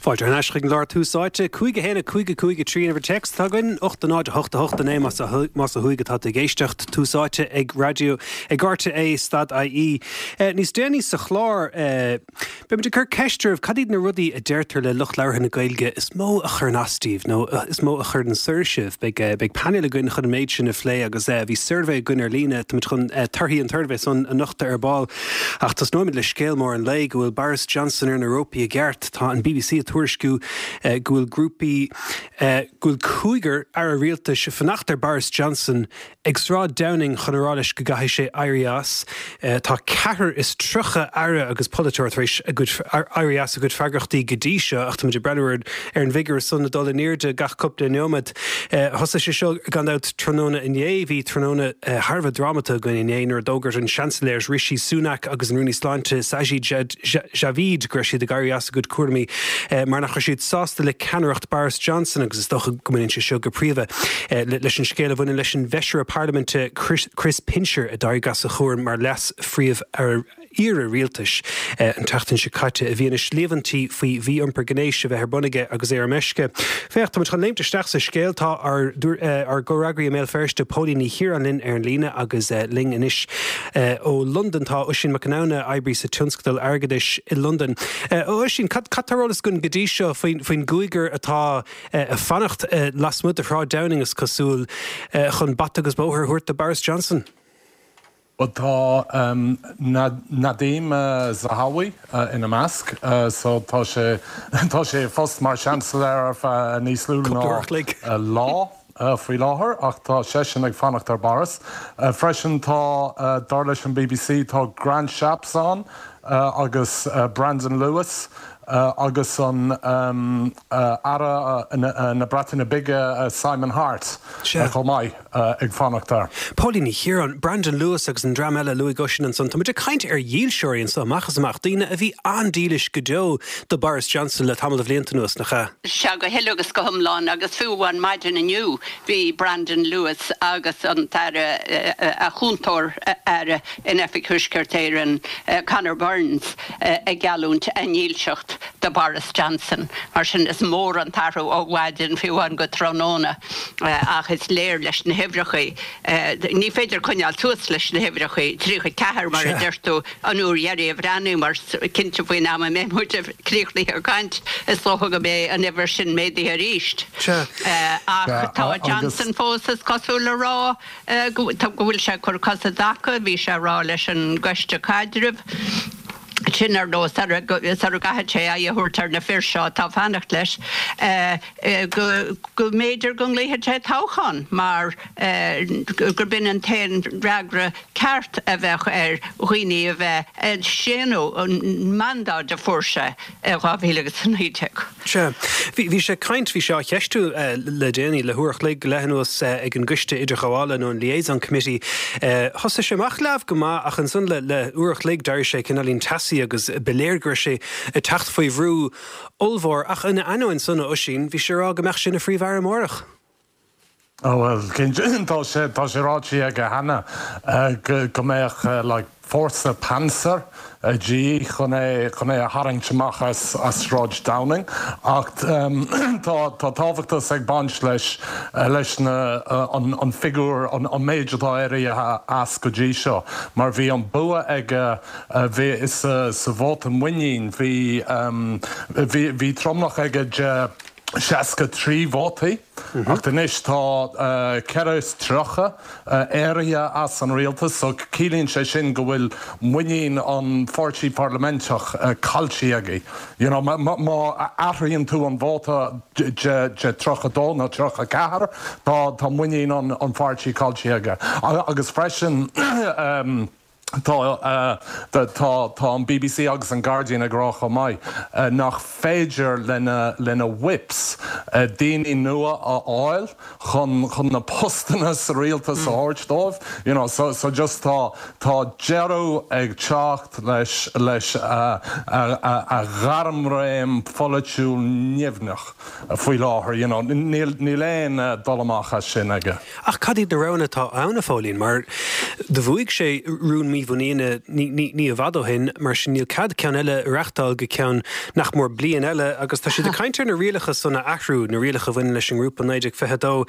Fáilte thar n-ais chuig an gclár Tús Áite. 5 1 5 5 3 an uimhir téacs atá againn, 8 0 8 8 9 más ó thuaidh atá tú ag éisteacht. Tús Áite ag raidió ag RTÉ stad IE. Níos déanaí sa chlár, beimid ag cur ceist oraibh cad iad na rudaí a deirtear le lucht labhartha na Gaeilge is mó a chuireann as daoibh nó is mó a chuireann soir sibh. Beidh beidh painéal againn chun an méid sin a phlé agus bhí suirbhé againn ar líne, táimid chun torthaí an tsuirbhé san a nochtadh ar ball. Ach tosnóimid le scéal mór an lae, go bhfuil Boris Johnson ar na rópaí i gceart. Tá an bbc ag tuairisciú go bhfuil grúpaí, go bhfuil cúigear aire rialtais ag fanacht ar Boris Johnson ag Sráid Downing chun a rá leis go gcaithfidh sé éirí as. Tá ceathrar is 30 aire agus polaiteoir tar éis a gcuid, éirí as a gcuid freagrachtaí go dtí seo ach táimid ag breathnú ar an bhfigiúr san ag dul in airde gach cúpla neomat. Thosaigh sé seo gan dabht tráthnóna inné. Bhí tráthnóna thar a bheith drámata againn inné nuair a d'fhógair an Seansailéir Rishi Sunak agus an Rúnaí Sláinte Sajid Javid go raibh siad ag éirí as a gcuid cúraimí mar nach raibh siad sásta le ceannaireacht Boris Johnson agus is dócha go mbaineann sé seo go príomha leis an scéal a bhaineann leis an bhfeisire parlaiminte Chris Pincher a d'éirigh as a chúram mar leas-phríomh-aire Aire Rialtais an tseachtain seo caite i bhfianaise líomhaintí faoi mhí-iompar gnéis a bheith ar bun aige agus é ar meisce. Féach, táimid chun léimt isteach sa scéal. Tá ár ár gcomhfhreagraí i mBéal Feirste, Póilín Ní Chiaráin linn ar an líne agus linn anois ó Londain tá Oisín Mac Conamhna, oibrí sa tionscadal airgeadais i Londain. A Oisín, cad cad tá ar eolas againn go dtí seo faoin faoin gcúigear atá ag fanacht lasmuigh de Shráid Downing, is cosúil, chun bata agus bóthar a thabhairt do Boris Johnson? Bhuel tá Nadhim Zahawi ina measc so tá sé tá sé i bpost mar Seansailéir ar feadh níos lú ná lá faoi láthair ach tá seisean ag fanacht ar Boris. Freisin tá, dar leis an bbc, tá Grant Shapps ann agus Brandon Lewis agus an Aire na Breataine Bige Simon Hart chomh maith. ag fanacht air. Póilín Ní Chiaráin, Brandon Lewis agus an dream eile a luaigh Oisín ansan, tá muid ag caint ar dhílseoirí anso amach is amach, daoine a bhí an-dílis go deo do Boris Johnson le tamall de bhlianta anuas, nach ea? Sea, go huile agus go hiomlán, agus fiú amháin maidin inniu bhí Brandon Lewis agus an tAire, a chúntóir Aire in Oifig Thuaisceart Éireann, Conor Burns, ag geallúint a ndílseacht do Boris Johnson. Mar sin, is mór an t-athrú ó mhaidin fiú amháin go tráthnóna. Ach is léir leis na huimhreacha, ní féidir coinneáil suas leis na huimhreacha, 34 mar a deir tú, an uair dheiridh a bhreathnaíomar, cinnte faoin am a mbeidh muid críochnaithe ag caint, is dócha go mbeidh an uimhir sin méadaithe arís. Ach tá Johnson fós, is cosúil, a rá go bhfuil sé ag cur cos i dtaca, bhí sé a rá leis an gCoiste Caidrimh, sin ar nós sara gcaithfidh sé aghaidh a thabhairt ar na fir seo atá ag fanacht leis, go mb'fhéidir go nglaofaidh sé toghchán mar gurb in an t-aon fhreagra ceart a bheadh ar dhaoine a bheith ag séanadh an mandáid a fuair sé i 2019. Sea. Bhí sé ag caint, bhí sé á cheistiú le déanaí, le huair a chloig go leith anuas ag an gCoiste Idirghabhála nó an Liaison Committee. Thosaigh sé amach leamh go maith ach ansan le huair a chloig d'éirigh sé cineáilín teasaí agus ba léir go raibh sé ag teacht faoi bhrú ollmhór. Ach ina ainneoin san, a Oisín, bhí sé ag rá go mbeadh sé ina Phríomh-Aire amárach. Ó bhuel, cinnte, tá sé, tá sé ráite aige cheana go, go mbeadh like fórsa Panzer de dhíth chun é, chun é a tharraingt amach as, as Sráid Downing. Ach tá, tá tábhachtas ag baint leis, leis na, an, an figiúr, an, an méid atá éirithe as go dtí seo. Mar bhí an bua aige, bhí, sa, sa vóta muinín, bhí, bhí, bhí tromlach aige de 63 vótaí. Ach anois tá 34 éirithe as an rialtas so ciallaíonn sé sin go bhfuil muinín an pháirtí parlaiminteach caillte aige. You know, má athraíonn tú an vóta de 32 nó 34 tá muinín an pháirtí caillte aige. Agus freisin, Tá tá an bbc agus an Guardian ag rá chomh maith nach féidir lena lena whips daoine nua a fháil chun chun na postanna sa rialtas a thabhairt dóibh you know so so just tá tá deireadh ag teacht leis leis a a a ghairmréim pholaitiúil nimhneach faoi láthair you know níl níl aon dul amach as sin aige. Ach cad iad na roghanna atá ann, a Phóilín? Mar do bhuaigh sé rún. mímhuiníne ní i bhfad ó shin, mar sin níl cead ceann eile a reachtáil go ceann nach mór bliain eile agus tá siad ag caint ar na rialacha san a athrú, na rialacha a bhaineann leis an ngrúpa 1922.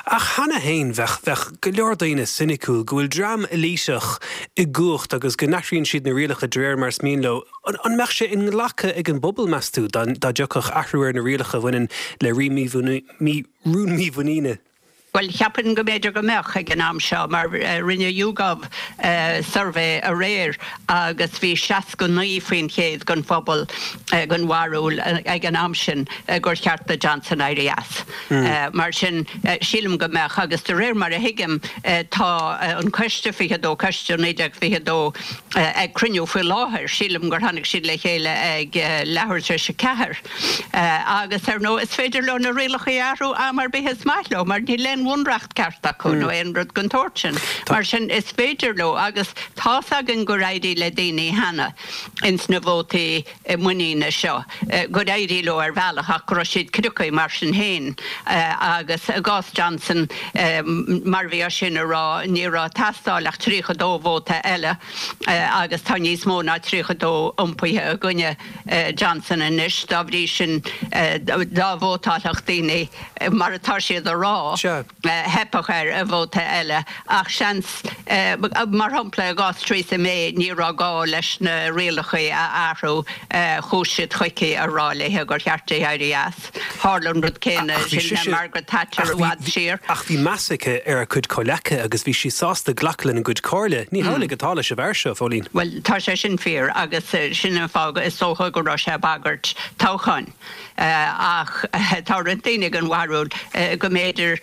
Ach cheana féin bheadh, bheadh go leor daoine soiniciúil go bhfuil dream eilíteach i gcumhacht agus go n-athraíonn siad na rialacha de réir mar is mian leo. An mbeadh sé inghlactha ag an bpobal, meas tú, dá dtiocfadh athrú ar na rialacha a bhaineann le rún mímhuiníne? Bhuel, cheapfainn go mb'fhéidir go mbeadh ag an am seo, mar rinne YouGov suirbhé aréir agus bhí 69% den phobal den bharúil ag an am sin gur cheart do Johnson éirí as. Mar sin, sílim go mbeadh, agus de réir mar a thuigim, tá an coiste 22, Coiste 1922, ag cruinniú faoi láthair, sílim gur tháinig siad le chéile ag leathuair tar éis a ceathair. Agus, ar ndóigh, is féidir leo na rialacha a athrú am ar bith is maith leo, mar níl aon bhunreacht ceart acu nó aon rud den tsórt sin. Mar sin, is féidir leo, agus tá's againn gur éirigh le daoine cheana ins na vótaí muiníne seo, gur éirigh leo ar bhealach ach go raibh siad criocaithe mar sin féin. Agus i gcás Johnson, mar a bhí Oisín a rá, ní raibh ag teastáil ach 32 vóta eile agus tá níos mó ná 32 iompaithe i gcoinne Johnson anois. Dá bhrí sin, dá vótálfadh daoine mar atá siad a rá, theipfeadh air i vóta eile. Ach seans, mar shampla i gcás Theresa May, ní raibh gá leis na rialacha a athrú, chuaigh siad chuici a rá léi gur cheart di éirí as. Tharla an rud céanna sin le Margaret Thatcher i bhfad siar. Ach bhí meas aici ar a cuid comhleacaithe agus bhí sí sásta glacadh lena gcuid comhairle. Ní hamhlaidh atá leis an bhfear seo, a Phóilín. Bhuel, tá sé sin fíor agus sin an fáth is dócha go raibh sé ag bagairt toghcháin. Ach tá roinnt daoine den bharúil go mb'fhéidir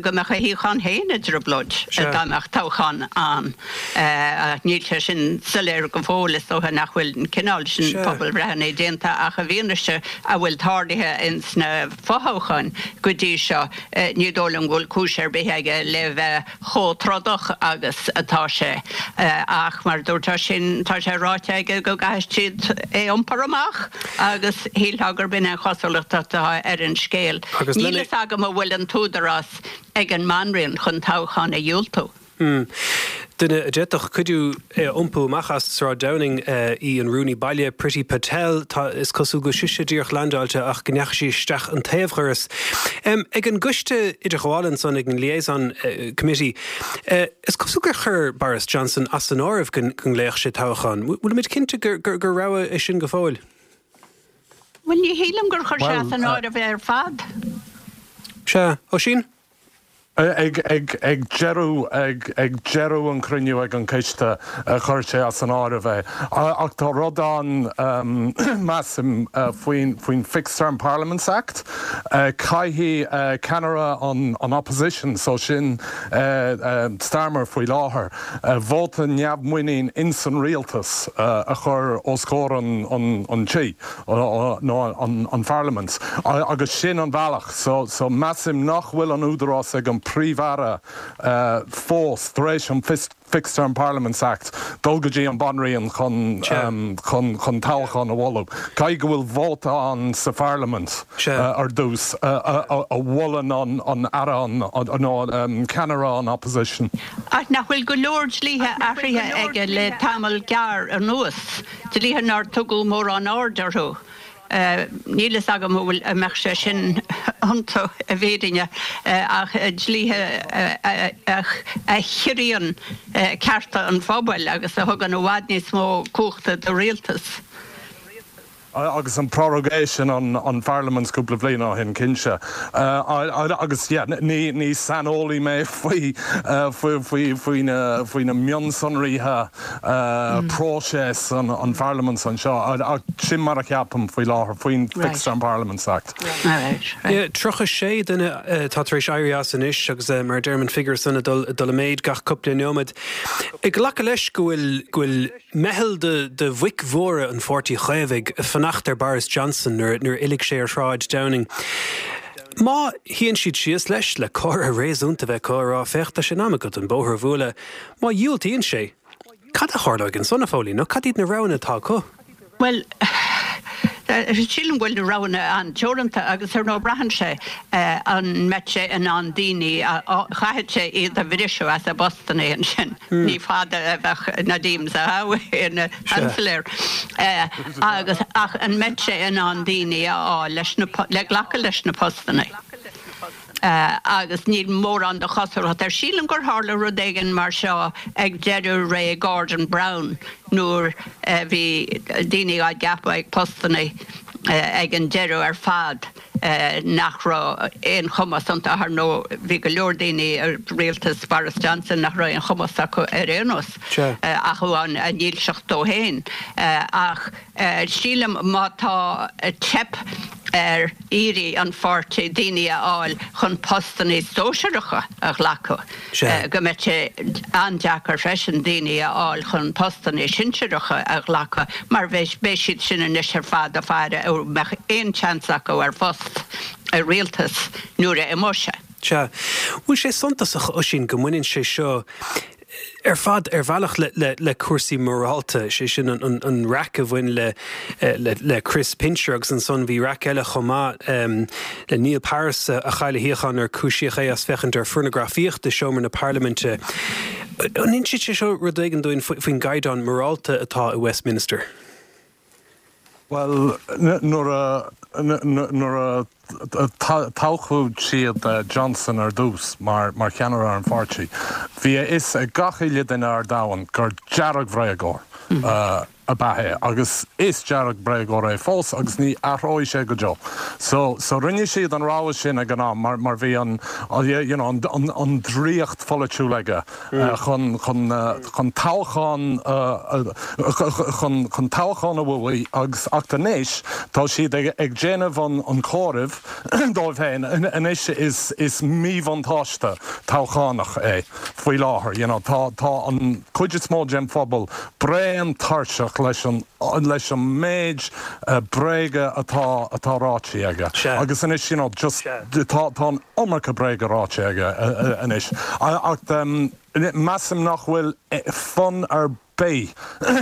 go mbeadh a shuíochán féin i dtrioblóid dá mbeadh toghchán ann. Ach níl sé sin soiléir go fóill, is dócha nach bhfuil an cineál sin pobalbhreitheanna déanta ach i bhfianaise a bhfuil tarlaithe ins na fothoghcháin go dtí seo, ní dóigh liom go bhfuil cúis ar bith aige le bheith chomh trodach agus atá sé. Ach mar a dúirt Oisín, tá sé ráite aige go gcaithfidh siad é iompar amach agus shílfeá gurb in an chosúlacht atá ar an scéal. Níl fhios agam an bhfuil an t-údarás ag an mBanríon chun toghchán a dhiúltú. Duine a d'fhéadfadh cuidiú é a iompú amach as Sráid Downing í an Rúnaí Baile, Priti Patel. Tá, is cosúil go bhfuil sise díreach leaindeáilte ach go ndeachaigh sí isteach an taobhdhoras. Ag an gcoiste idirghabhála ansan, ag an Liaison Committee, is cosúil gur chuir Boris Johnson as an áireamh go nglaofadh sé toghchán. Bhfuilimid cinnte gur rogha é sin go fóill? Bhuel, ní shílim gur chuir sé as an áireamh é ar fad. Sea. Oisín? Ag deireadh ag deireadh an chruinniú ag an coiste chuir sé as an áireamh é. Ach tá rud ann, measaim, faoin faoin Fixed Term Parliaments Act. Caithfidh ceannaire an opposition, so sin Starmer faoi láthair, vóta neamhmhuinín ins an rialtas a chur os comhair an tí. nó an pharlaimint agus sin an bealach. So measaim nach bhfuil an údarás ag an Príomh-Aire fós tar éis an Fixed Term Parliaments Act dul go dtí an Banríon chun chun toghchán a mholadh. Caithfidh go bhfuil vóta ann sa pharlaimint ar dtús a mholann an Aire nó ceannaire an opposition. Ach nach bhfuil go leor dlíthe athraithe aige le tamall gearr anuas? Dlíthe nár tugadh mórán aird orthu. Níl fhios agam an bhfuil, an mbeadh sé sin iontu i bhfírinne, ach dlíthe a chiorraíonn cearta an phobail agus a thugann i bhfad níos mó cumhachta do rialtas. Agus an prorogation an pharlaimint cúpla bliain ó shin, cinnte. Agus yeah, ní ní saineolaí mé faoi faoi faoi na faoi na mionsonraithe próiseas an pharlaimint anseo, ach sin mar a cheapaim faoi láthair faoin Fixed Term Parliaments Act. Yeah, 36 duine atá tar éis éirí as anois agus mar a deirim an figiúr san ag dul ag dul i méid gach cúpla neomad. Ag glacadh leis go bhfuil go bhfuil Meitheal de bhoic mhóra an Pháirtí Chaomhaigh ag fanacht ar Boris Johnson nuair a fhillfidh sé ar Shráid Downing. Má shuíonn siad síos leis, le comhrá réasúnta a bheith acu, a rá, féach, tá sé in am agat an bóthar a bhualadh. Má dhiúltaíonn sé, cad a tharlóidh ansan, a Phóilín, nó cad iad na roghanna atá acu? Bhuel, Sílim go bhfuil na roghanna an-teoranta agus ar ndóigh braitheann sé an mbeidh sé in ann daoine a, chaithfidh sé iad a bhriseadh as a bpostanna ansin. Ní fada a bheadh Nadhim Zahawi ina Sheansailéir agus ach an mbeidh sé in ann daoine a fháil leis na, le glacadh leis na postanna? Agus níl mórán de chosúlacht air. Sílim gur tharla rud éigin mar seo ag deireadh ré Gordon Brown nuair a bhí daoine á gceapadh ag postanna ag an deireadh ar fad nach raibh aon chumas iontu. Ar ndóigh bhí go leor daoine i rialtas Boris Johnson nach raibh aon chumas acu ar aon nós ach amháin a ndílseacht dó féin. Ach sílim má tá teip ar iarraidh an pháirtí daoine a fháil chun postanna sóisearacha a ghlacadh, go mbeidh sé an-deacair freisin daoine a fháil chun postanna sinsearacha a ghlacadh mar beidh siad sin anois ar fad ag faire an mbeadh aon tseans acu ar phost i rialtas nuair a imeoidh sé. Sea. Bhfuil sé suntasach, Oisín, go mbaineann sé seo ar fad ar bhealach le cúrsaí morálta, sé sin an raic a bhain le Chris Pincher agus ansan bhí raic eile chomh maith le Neil Harris a chaill a shuíochán nuair a cúisíodh é as féachaint ar phornagrafaíocht i seomra na parlaiminte. An insíonn sé seo rud éigin dúinn faoin gcaighdeán morálta atá i Westminster? Bhuel, nuair a, nuair a toghadh siad Johnson ar dtús mar, mar cheannaire ar an pháirtí, bhí a fhios ag gach uile duine ar domhan gur dearg-bhréagóir ab ea é agus is dearg-bhréagóir é fós agus ní athróidh sé go deo. So, so rinne siad an rogha sin ag an am mar, mar bhí an, you know, an, an, an draíocht pholaitiúil aige. chun chun toghchán chun chun toghchán a bhuaigh agus ach anois tá siad ag ag déanamh an an comhairimh dóibh féin anois is is míbhuntáiste toghchánach é faoi láthair you know tá tá an cuid is mó den phobal bréan tuirseach leis an leis an méid bréaga atá atá ráite aige agus anois you know just tá tá an iomarca bréaga ráite aige anois ach measaim nach bhfuil fonn ar bith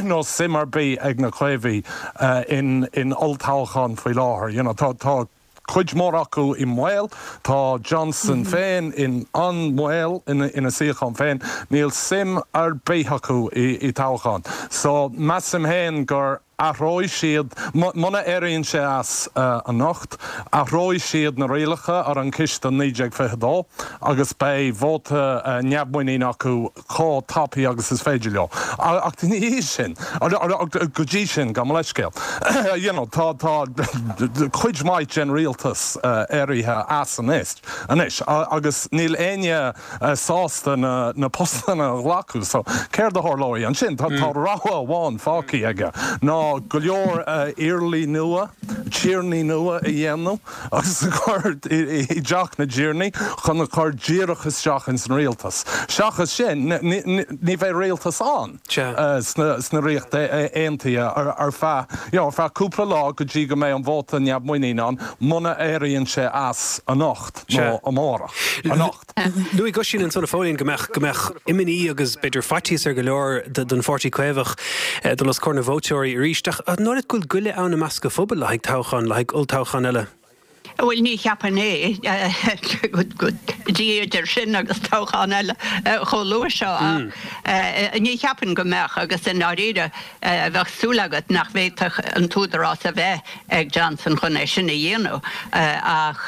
nó suim ar bith ag na Caomhaigh in in olltoghchán faoi láthair. You know tá tá cuid mhór acu i mbaol, tá Johnson féin in an-mbaol ina ina suíochán féin, níl suim ar bith acu i i toghchán. So measaim féin gur Athróidh siad, muna éiríonn sé as anocht, athróidh siad na rialacha ar an Chiste 1922 agus beidh vóta neamhmhuiníne acu chomh tapaidh agus is féidir leo. Ach ina dhiaidh sin, go dtí sin, gabh mo leithscéal, you know, tá, tá cuid mhaith den rialtas éirithe as anois agus níl éinne sásta na postanna a ghlacadh. So, céard a tharlóidh ansin? Tá rogha amháin fágtha aige, ná go leor iarlaí nua, tiarnaí nua a dhéanamh agus a chur i dTeach na dTiarnaí chun a chur díreach isteach ins an rialtas. Seachas sin, ní bheidh rialtas ann sna Ríocht Aontaithe ar feadh, you know, ar feadh cúpla lá go dtí go mbeidh an vóta neamhmhuiníne ann, muna éiríonn sé as anocht nó amárach. Anocht. Luaigh Oisín ansan, a Phóilín, go mbeadh, go mbeadh imní agus b'fhéidir faitíos ar go leor don Pháirtí Caomhach dul os comhair na vótóirí arís. Ach an dóigh leat go bhfuil goile ann i measc an phobail le haghaidh toghchán, le haghaidh olltoghchán eile? Bhuel, ní cheapfainn é. Go dtí idir sin agus toghchán eile chomh luath seo. Ach ní cheapfainn go mbeadh agus i ndáiríre bheadh súil agat nach bhféadfadh an t-údarás a bheith ag Johnson chun é sin a dhéanamh ach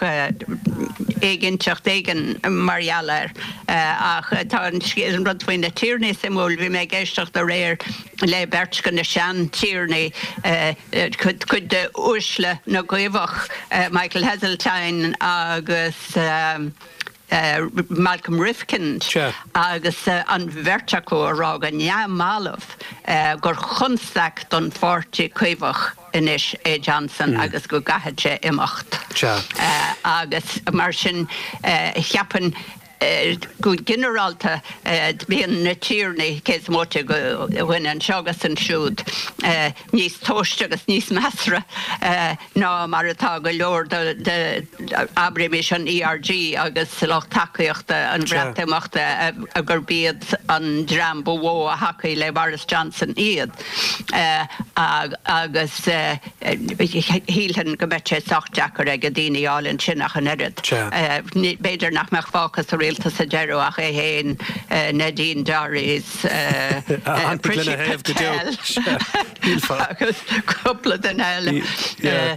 éiginnteacht éigin mar gheall air. Ach tá an rud faoi na tiarnaí suimiúil. Bhí mé ag éisteacht aréir le beirt de na sean-tiarnaí, cuid de uaisle na gCaomhach, Michael Heseltine agus Malcolm Rifkind, agus an bheirt acu ag rá go neamhbhalbh gur chonstaic don pháirtí Caomhach anois é Johnson agus go gcaithfidh sé imeacht. Agus mar sin, cheapfainn. Go ginearálta, bíonn na tiarnaí, cé is móite de dhuine anseo agus ansiúd, níos tomhaiste agus níos measartha ná mar atá go leor de, abraimis, an ERG agus lucht tacaíochta an Bhreatimeachta, gurb iad an dream ba mhó a thacaigh le Boris Johnson iad. Agus shílfinn go mbeadh sé sách deacair aige daoine a fháil ansin ach an oiread. B'fhéidir nach mbeadh fágtha sa rialtas sa deireadh ach é féin, Nadine Dorries, Priti Patel agus cúpla duine eile.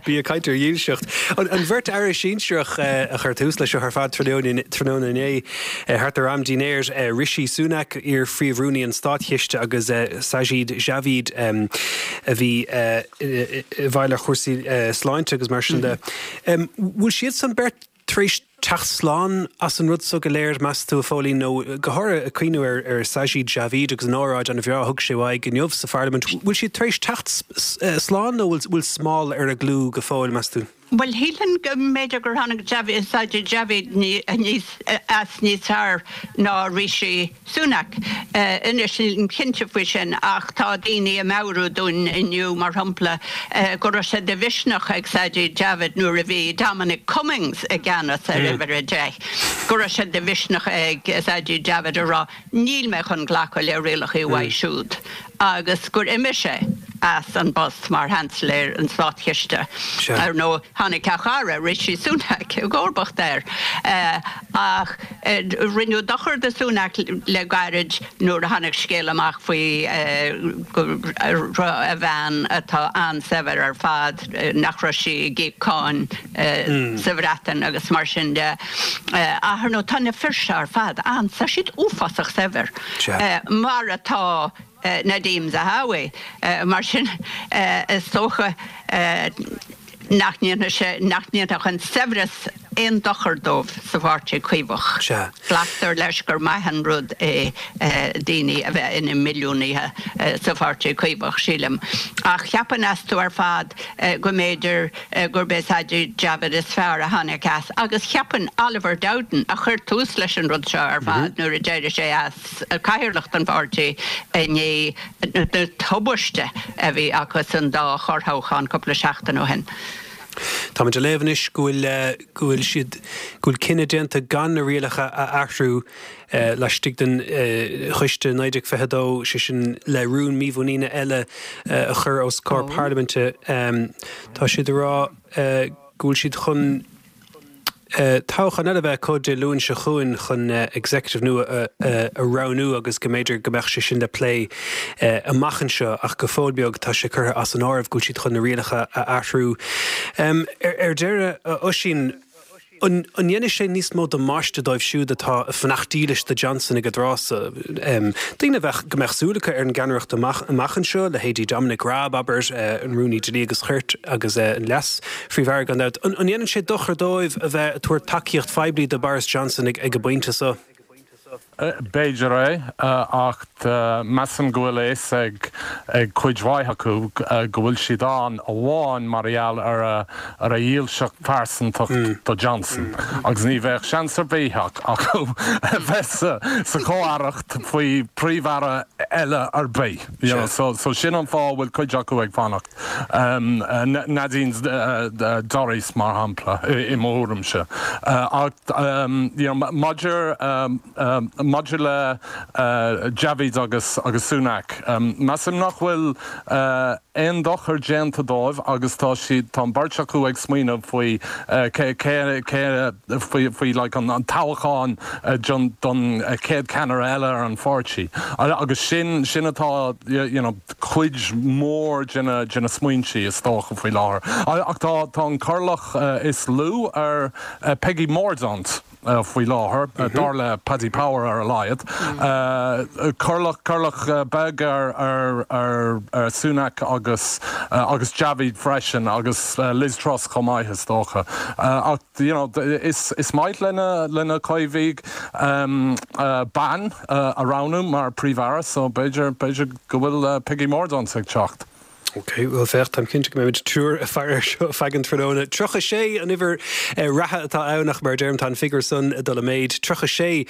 Bí ag caint ar dhílseacht. An bheirt aire sinsearach a chuir tús leis seo ar fad tráthnóna inné, thart ar am dinnéir, Rishi Sunak, iar-Phríomh-Rúnaí an Státchiste agus Sajid Javid a bhí i bhfeighil ar chúrsaí sláinte agus mar sin de. Bhfuil siadsan beirt tar éis teacht slán as an rud so go léir, meas tú, a Phóilín, nó go háirithe ag cuimhniú ar Sajid Javid agus an óráid an-bhreá a thug sé uaidh inniu sa pharlaimint, bhfuil siad tar éis teacht slán nó bhfuil smál ar a gclú go fóill, meas tú? Bhuel, shílfinn go mb'fhéidir gur tháinig Sajid Javid as níos fearr ná Rishi Sunak. Anois, nílim cinnte faoi sin, ach tá daoine ag meabhrú dúinn inniu, mar shampla, go raibh sé de mhisneach ag Sajid Javid nuair a bhí Dominic Cummings i gceannas ar Uimhir 10, go raibh sé de mhisneach ag Sajid Javid a rá Níl mé chun glacadh le rialacha uaidh siúd agus gur imigh sé as an bpost mar Sheansailéir an Státchiste. Ar ndóigh, tháinig a chara, Rishi Sunak, i gcomharbacht air. Ach rinneadh dochar do Sunak le gairid nuair a tháinig scéal amach faoi go raibh a bhean, atá an-saibhir ar fad, nach raibh sí ag íoc cáin sa Bhreatain agus mar sin de. Ach ar ndóigh tá na fir seo ar fad an, tá siad uafásach saibhir, mar atá Nadhim Zahawi. Mar sin is dócha nach ndéanfaidh sé, nach ndéanfadh an saibhreas aon dochar dóibh sa Pháirtí Caomhach. Glactar leis gur maith an rud é daoine a bheith ina milliúnaithe sa Pháirtí Caomhach, sílim. Ach cheapfainn astu ar fad go mb'fhéidir gurb é Sajid Javid is fearr a tháinig as agus cheapfainn Oliver Dowden a chuir tús leis an rud seo ar fad nuair a d'éirigh sé as cathaoirleacht an pháirtí i ndiaidh na tubaiste a bhí acu san dá chorrthoghchán cúpla seachtain ó shin. Táimid ag léamh anois go bhfuil go bhfuil siad go bhfuil cinneadh déanta gan na rialacha a athrú laistigh den Choiste 1922, sé sin le rún mímhuiníne eile a chur os comhair parlaiminte. Tá siad ag rá go bhfuil siad chun toghchán eile a bheith acu Dé Luain seo chugainn chun executive nua a roghnú agus go mb'fhéidir go mbeadh sé sin le plé amach anseo ach go fóill beag tá sé curtha as an áireamh go bhfuil siad chun na rialacha a athrú. Ar deireadh, a Oisín, An ndéanfaidh sé níos mó damáiste dóibh siúd atá ag fanacht dílis do Johnson ag an dtráth so? Daoine a bheadh, go mbeadh súil acu ar an gceannaireacht amach amach anseo, leithéidí Dominic Raab, abair, an Rúnaí Dlí agus Cirt agus an Leas-Phríomh-Aire gan dabht. An ndéanann sé dochar dóibh a bheith ag tabhairt tacaíocht phoiblí do Boris Johnson ag an bpointe so? B'fhéidir é, ach measaim go bhfuil a fhios ag cuid mhaith acu go bhfuil siad ann amháin mar gheall ar a dhílseacht phearsantacht do Johnson agus ní bheadh seans ar bith acu a bheith sa chomh-aireacht faoi Phríomh-Aire eile ar bith. So sin an fáth a bhfuil cuid acu ag fanacht. Nadine Dorries, mar shampla, i mo thuairimse. Ach maidir maidir le Javid agus agus Sunak, measaim nach bhfuil aon dochar déanta dóibh agus tá siad, tá an bheirt acu ag smaoineamh faoi cé cé cé faoi faoi like an toghchán don chéad cheannaire eile ar an pháirtí. Agus sin sin atá you know cuid mhór de na de na smaointe is dócha faoi láthair. Ach tá tá an corrlach is lú ar Peggy Mordaunt faoi láthair, dar le Paddy Power ar a laghad. Corrlach corrlach beag ar ar ar Sunak agus agus Javid freisin agus Liz Truss chomh maith is dócha. Ach you know is is maith le na le na Caomhaigh bean a roghnú mar Príomh-Aire so b'fhéidir b'fhéidir go bhfuil Peggy Mordaunt ag teacht. Ok, bhuel féach, táim cinnte go mbeimid triúr ag faire air seo feadh an tráthnóna. 36 an uimhir reatha atá ann ach mar a deirim tá an figiúr san ag dul i méid. 36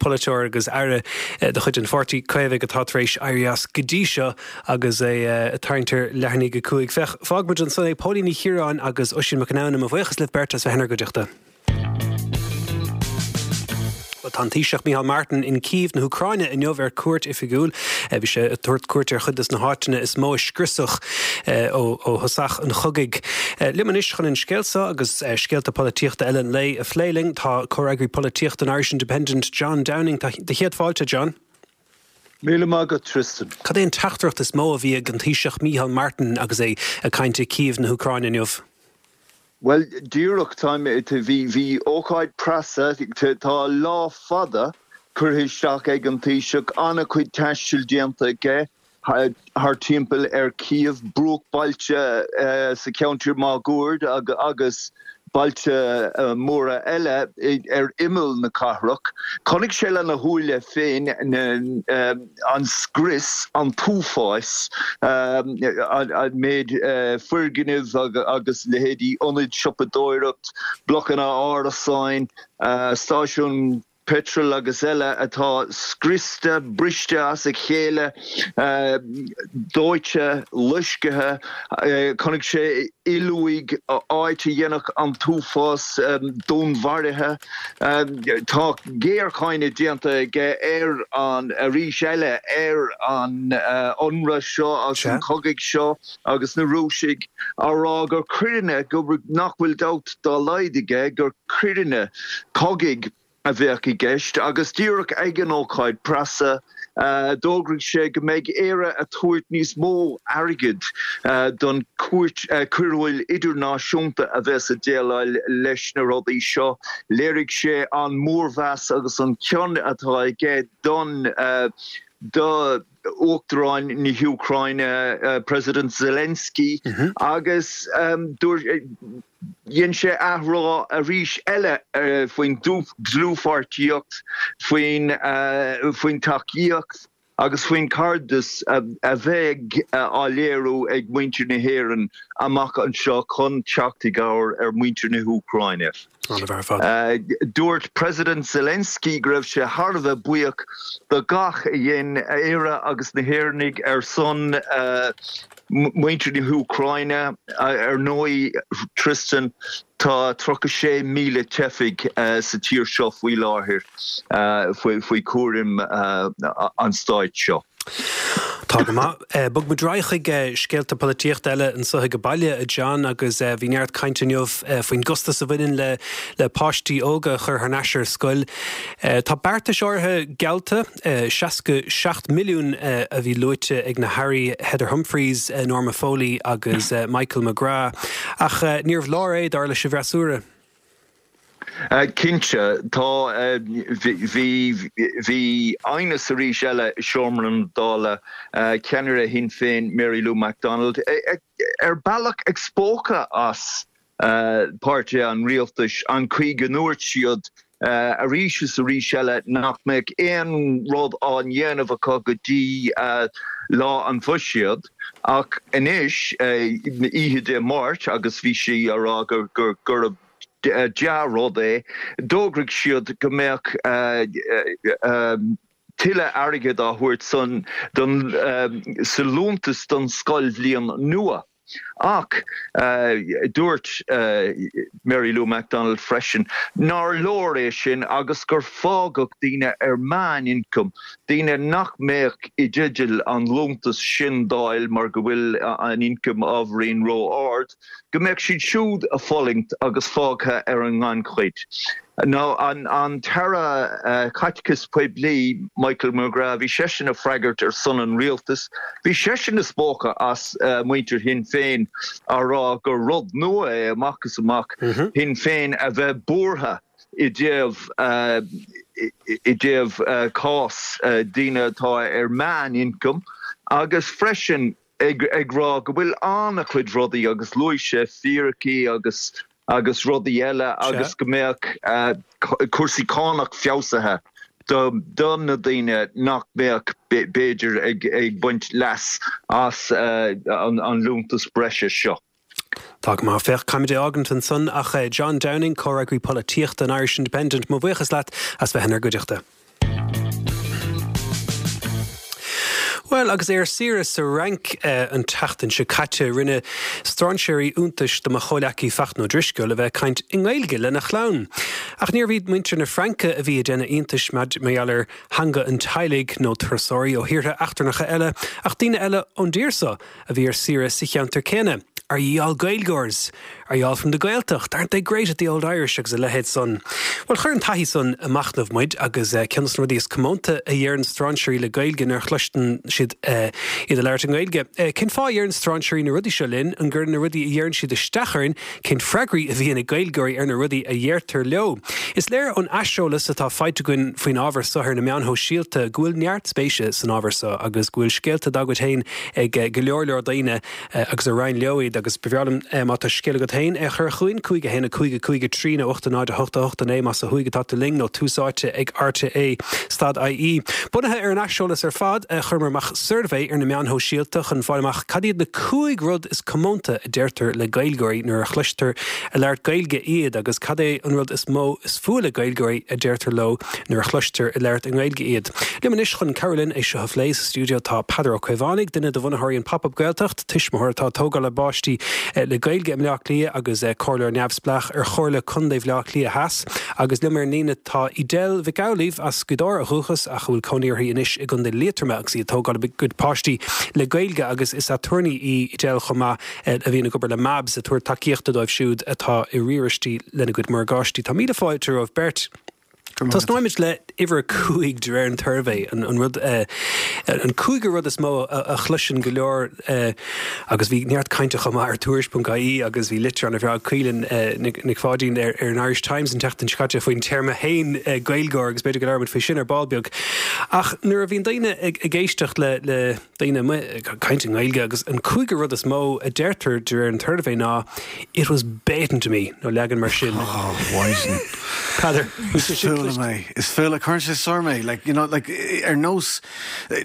polaiteoir agus aire de chuid an Pháirtí Caomhaigh atá tar éis éirí as go dtí seo agus é ag tarraingt ar leath i ndiaidh a 5. Féach, fágfaimid ansan é. Póilín Ní Chiaráin agus Oisín Mac Conamhna, mo bhuíochas libh beirt as bheith inár gcuideachta. Bhuel, tá an Taoiseach Micheál Martin in Kyiv na hÚcráine inniu ar cuairt oifigiúil. Bhí sé ag tabhairt cuairt ar chuid des na háiteanna is mó a scriosadh ó thosach an chogaidh. Liom anois chun an scéal seo agus scéalta polaitíochta eile an lae a phlé linn tá comhfhreagraí polaitíochta an Irish Independent, John Downing. Tá do chéad fáilte, John. Míle maith agat, Tristan. Cad é an teachtaireacht is mó a bhí ag an Taoiseach Micheál Martin agus é ag caint i Kyiv na hÚcráine inniu? Bhuel, díreach, táim, bhí, bhí ócáid preasa, tá lá fada curtha isteach ag an Taoiseach, an-chuid taistil déanta aige thar timpeall ar Kyiv, bruachbhailte sa cheantar máguaird agus bailte móra eile ar imeall na cathrach. Chonaic sé lena shúile féin an scrios, an t-uafás, an méid foirgneamh agus leithéidí ionaid siopadóireacht, blocanna árasáin, stáisiún peitril agus eile atá scriosta, briste as a chéile, dóite, loiscthe. Chonaic sé illuaigh, áit a dhéanfadh an t-uafás dúnmharuithe. Tá géarcháineadh déanta aige ar an, arís eile, ar an ionradh seo agus an cogaidh seo agus na Rúisigh á rá gur coireanna, go, nach bhfuil dabht dá laghad aige gur coireanna cogaidh a bheadh i gceist agus díreach ag an ócáid preasa d'fhógraigh sé go mbeidh Éire a tabhairt níos mó airgid don Chúirt Choiriúil Idirnáisiúnta a bheas ag déileáil leis na rudaí seo. Léirigh sé an mór-mheas agus an cion atá aige don do Uachtarán na hÚcráine, President Zelensky agus dúirt Dhein sé athrá arís eile faoin dlúthpháirtíocht, faoin tacaíocht agus faoin chairdeas a bheidh á léiriú ag muintir na hÉireann amach anseo chun teacht i gcabhair ar mhuintir na hÚcráine. Dúirt President Zelensky go raibh sé thar a bheith buíoch do gach a dhein Éire agus na hÉireannaigh ar son muintir na hÚcráine. Ar ndóigh, Tristan, tá 36,000 teifigh sa tír seo faoi láthair faoi chúram an stáit seo. Tá go maith. Bogfaidh muid ar aghaidh chuig scéalta polaitíochta eile anseo ag baile, a John, agus bhí neart cainte inniu faoin gcostas a bhaineann le le páistí óga a chur thar n-ais ar scoil. Tá beartais áirithe geallta. 67 milliún a bhí luaite ag na hAirí Heather Humphreys, Norma Foley agus Michael McGrath. Ach níorbh leor é, dar leis an bhfreasúra. Cinnte, tá. Bhí bhí aighneas arís eile i seomra na Dála, ceannaire Shinn Féin Mary Lou McDonald, ar bealach ag spochadh as páirtithe an rialtais an chaoi go ndúirt siad arís is arís eile nach mbeadh aon rud á ndéanamh acu go dtí lá an bhuiséid ach anois, oíche Dé Máirt, agus bhí sí á rá gurb dea-rud é, d'fhógraigh siad go mbeadh tuilleadh airgid á thabhairt sa liúntas don scoilbhliain nua. Ach dúirt Mary Lou McDonald freisin nár leor é sin agus gur fágadh daoine ar meánioncam, daoine nach mbeadh i dteideal an liúntas sin d'fháil mar go bhfuil an ioncam ábhairín ró-ard, go mbeadh siad siúd a fulaingt agus fágtha ar an ngannchuid. Now an tAire Caiteachais Poiblí, Michael McGrath, bhí seisean ag freagairt ar son an rialtais. Bhí seisean ag spochadh as muintir Shinn Féin á rá gur rud nua é amach is amach Shinn Féin a bheith buartha i dtaobh i dtaobh cás daoine atá ar meánioncam agus freisin ag rá go bhfuil an-chuid rudaí agus luaigh sé fíricí agus agus rudaí eile agus go mbeadh cúrsaí cánach feabhsaithe. Do na daoine nach mbeadh, b'fhéidir, ag baint leas as an liúntas breise seo. Tá go maith. Féach, caithfimid é fhágaint ansan ach John Downing, Comhfhreagraí Polaitíochta an Irish Independent, mo bhuíochas leat as bheith inár gcuideachta. Bhuel, agus é ar saoire sa Fhrainc an tseachtain seo caite, rinne strainséirí iontais de mo chomhleacaí Fachtna Ó Drisceoil a bheith ag caint i nGaeilge lena chlann. Ach níorbh iad muintir na Fraince a bhí ag déanamh iontais mar gheall ar theanga an teaghlaigh, nó turasóirí ó thíortha eachtrannacha eile, ach daoine eile ón dtír seo a bhí ar saoire sa cheantar céanna. Are ye all Gaeilgeoirs? Are ye all from the Gaeltacht? Aren't they great at the old Irish? agus a leithéid san. Bhuel, chuir an taithí san ag machnamh muid agus ceann de na rudaí is comónta a dheireann strainséirí le Gaeilge nuair a chloisteann siad iad ag labhairt i nGaeilge. Cén fáth a dheireann strainséirí na rudaí seo linn? An gcuireann na rudaí a dheireann siad isteach orainn? Cén freagraí a bhíonn ag Gaeilgeoirí ar na rudaí a dheirtear leo? Is léir ón aiseolas atá faighte againn faoin ábhar seo ar na meáin shóisialta go bhfuil neart spéise san ábhar seo agus go bhfuil scéalta dá gcuid féin ag go leor leor daoine agus a roinn leo iad agus ba bhreá liom má tá scéal agat féin é a chur chugainn, 5 1 5 5 3 nó 8 0 8 8 9 más ó thuaidh atá tú linn nó Tús Áite ag RTÉ stad IE. Bunaithe ar an aiseolas ar fad, chuireamar amach suirbhé ar na meáin shóisialta chun fáil amach cad iad na 5 rud is comónta a deirtear le Gaeilgeoirí nuair a chloistear ag labhairt Gaeilge iad agus cad é an rud is mó is fuath le Gaeilgeoirí a deirtear leo nuair a chloistear ag labhairt i nGaeilge iad. Liom anois chun cabhrú linn é seo a phlé sa stiúideo tá Peadar Ó Caomhánaigh, duine de bhunaitheoirí an Pop Up Gaeltacht, tuismitheoir atá ag tógáil a bpáistí le Gaeilge i mBleá Cliath agus comhairleoir neamhspleách ar Chomhairle Contae Bhaile Átha Cliath Theas. Agus liom ar an líne tá Edel Mhic Amhlaoibh as Gaoth Dobhair ó dhúchas ach a bhfuil cónaí uirthi anois i gContae Liatroma agus í ag tógáil a gcuid páistí le Gaeilge agus is aturnae í Edel chomh maith a bhíonn ag obair le MABS ag tabhairt tacaíochta dóibh siúd atá i riaráistí lena gcuid morgáistí. Tá míle fáilte romhaibh beirt. Tosnóimid le uimhir a 5 de réir an tsuirbhé, an rud, an cúigiú rud is mó a chloiseann go leor agus bhí neart cainte chomh maith ar Tuairisc.ie agus bhí litir an-bhreá ag Caoilinn Nic Pháidín ar an Irish Times an tseachtain seo caite faoin téarma féin Gaeilgeoir agus b'fhéidir go labhróimid faoi sin ar ball beag. Ach nuair a bhíonn daoine ag éisteacht le daoine amuigh ag caint i nGaeilge agus an cúigiú rud is mó a deirtear de réir an tsuirbhé ná It was bet into me nó leagan mar sin. Oh, Mhaighdean. Peadar, Is fuath liom é. Is fuath liom, cuireann sé soir mé. Like, you know, like, ar nós,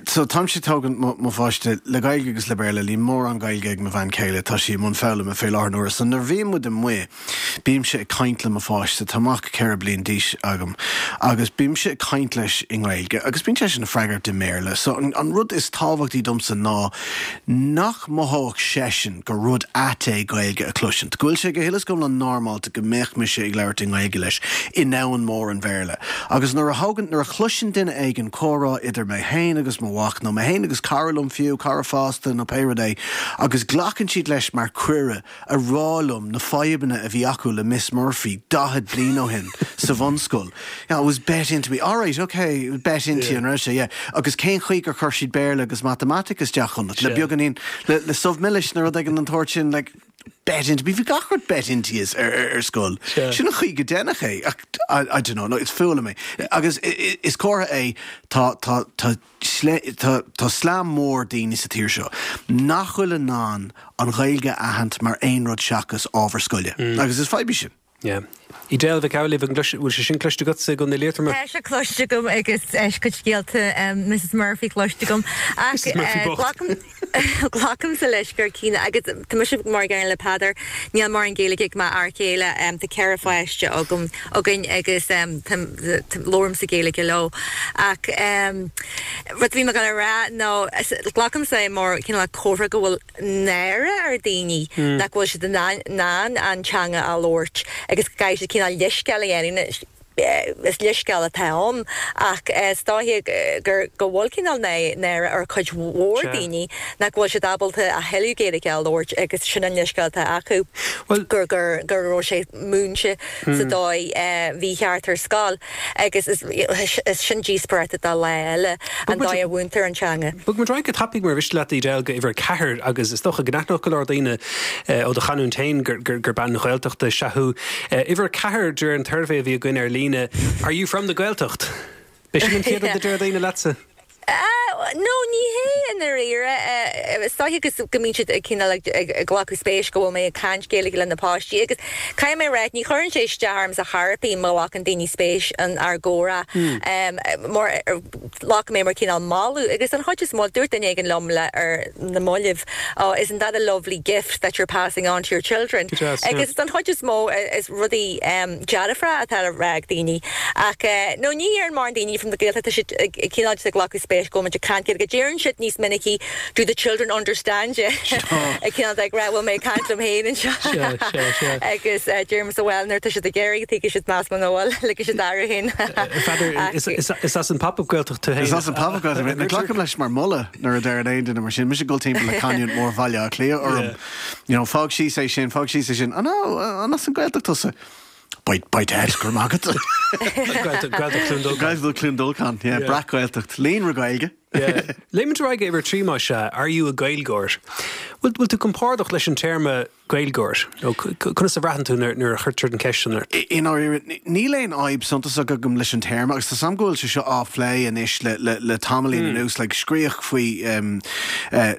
so táimse ag tógaint mo, mo pháiste le Gaeilge agus le Béarla, níl mórán Gaeilge ag mo bhean chéile, tá sí i mbun foghlama fé láthair na huaire. So nuair a bhíonn muid amuigh, Bímse ag caint le mo pháiste, tá mac 4 bliain d'aois agam, agus bímse ag caint leis i nGaeilge agus bíonn seisean ag freagairt i mBéarla. So an rud is tábhachtaí domsa ná nach mothódh seisean gur rud ait é Gaeilge a chloisint, go bhfuil sé go huile is go hiomlán normálta go mbeadh mise ag labhairt i nGaeilge leis i ndomhan mór an Bhéarla. Agus nuair a thógann, nuair a chloiseann duine éigin comhrá idir mé féin agus mo mhac, nó mé féin agus cara liom fiú, cara fásta nó pé rud é, agus glacann siad leis mar cuireadh a rá liom na fadhbanna a bhí acu le Miss Murphy 40 bliain ó shin sa bhunscoil. Yeah, it was bet into me. Alright, ok, bet into you, an raibh sé? Yeah. Agus cén chaoi gur chuir siad Béarla agus Matamaitic isteach ionat? Le beagáinín, le, le subh milis nó rud éigin den tsórt sin, like, bet into me. Bhí gach rud bet into you ar, ar, ar scoil. Sin an chaoi go ndéanadh é. Ach, I, I don't know, no, is fuath liom é. Agus is comhartha é, tá, tá, tá, Tá slám mór daoine sa tír seo nach bhfuil in ann an Ghaeilge a aithint mar aon rud seachas ábhar scoile. Agus is fadhb í sin. Yeah. Edel Mhic Amhlaoibh, an bhfuil sé sin cloiste agatsa i gContae Liatroma? Tá sé cloiste agam agus cuid scéalta Mrs Murphy cloiste agam. Ach Mrs Murphy bocht. Glacaimse leis gur cineál agus tá mise mar an gcéanna le Peadar, níl mórán Gaeilge ag m'fhear céile, tá 4 pháiste agam, againn agus labhraímse Gaeilge leo. Ach rud a bhí mé ag dul a rá ná glacaimse é mar cineál comhartha go bhfuil náire ar daoine nach bhfuil siad in ann an teanga a labhairt agus go gcaithfidh siad cineál leithscéal a dhéanamh. Is leithscéal atá ann ach is dóiche gur go bhfuil cineál náire ar chuid mhór daoine nach bhfuil siad ábalta a thuilleadh Gaeilge a labhairt agus sin an leithscéal atá acu gur gur go raibh sé múinte sa dóigh mhícheart ar scoil agus is sin díospóireacht do lá eile an dóigh a mhúintear an teanga. Bogfaidh muid ar aghaidh go tapaidh mar mhiste leat Edel go uimhir 4 agus is dócha go n-aithneodh go leor daoine ó do chanúint féin gur bean Ghaeltachta is ea thú. Uimhir 4 de réir an tsuirbhé a bhí againn ar líne, Are you from the Gaeltacht? B'é sin an chéad rud a deir daoine leatsa? No, ní hé i ndáiríre. Is dóiche go go mbíonn siad ag cineál ag glacadh spéis go bhfuil mé ag caint Gaeilge le na páistí agus caithfidh mé a rá ní chuireann sé isteach ormsa chor ar bith má ghlacann daoine spéis in ár gcomhrá mar glacaim é mar cineál moladh agus an chuid is mó, dúirt duine éigin liom le ar na mallaibh, oh isn't that a lovely gift that you're passing on to your children? Agus don chuid is mó is rudaí dearfacha atá le rá ag daoine ach no ní deireann mórán daoine from the Gaeltacht tá siad ag cineál just ag glacadh spéis go bhfuil muid ag caint Gaeilge. Deireann siad níos minicí do the children understand you? Ag cineál ag rá bhfuil mé ag caint liom féin anseo agus deirimse bhuel nuair atá siad ag iarraidh tuigfidh siad meas muna bhfuil ligfidh siad orthu féin. Pheadair, is as an Pop-up Gaeltacht tú féin. Is as an Pop-up Gaeltacht mé. Glacaim leis mar mholadh nuair a deireann aon duine mar sin. Mise ag dul timpeall le canúint mhór Bhaile Átha Cliath orm. You know, fág síos é sin, fág síos é sin. Oh no, an as an Ghaeltacht tusa? By, by Ted, go raibh maith agat. Gaeltacht, Gaeltacht Chluain Dolcáin. Gaeltacht Chluain Dolcáin, yeah, breac-Ghaeltacht. Líonra Gaeilge. Yeah. Léimid ar aghaidh uimhir 3 más ea, Are you a Gaeilgeoir? Bhfuil, bhfuil tú compordach leis an téarma Gaeilgeoir? Nó conas a bhraitheann tú nuair a chuirtear an cheist sin ort? I ndáiríre, níl aon fhadhb suntasach agam leis an téarma agus tá 's a'm go bhfuil sé seo á phlé anois le tamaillín anuas, like scríodh faoi